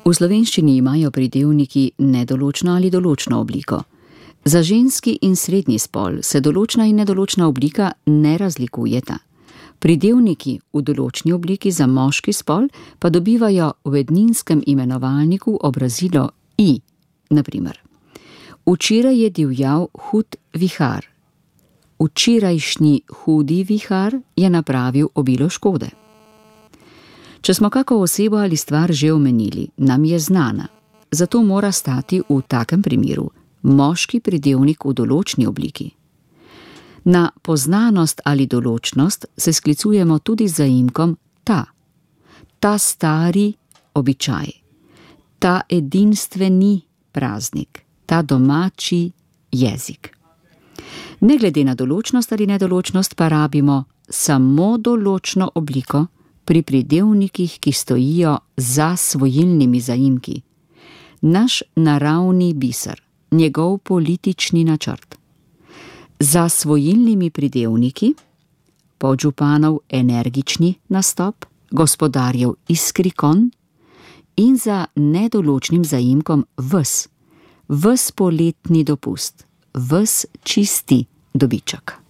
V slovenščini imajo pridevniki nedoločno ali določno obliko. Za ženski in srednji spol se določna in nedoločna oblika ne razlikujeta. Pridevniki v določni obliki za moški spol pa dobivajo v edninskem imenovalniku obrazilo i, naprimer. Včeraj je divjal hud vihar. Včerajšnji hudi vihar je napravil obilo škode. Če smo kako osebo ali stvar že omenili, nam je znana, zato mora stati v takem primeru moški pridevnik v določni obliki. Na poznanost ali določnost se sklicujemo tudi z zaimkom ta. Ta stari običaj, ta edinstveni praznik, ta domači jezik. Ne glede na določnost ali nedoločnost pa rabimo samo določno obliko pri pridevnikih, ki stojijo za svojilnimi zaimki. Naš naravni biser, njegov politični načrt. Za svojilnimi pridevniki, podžupanov energični nastop, gospodarjev iskri konj in za nedoločnim zaimkom ves poletni dopust, ves čisti dobiček.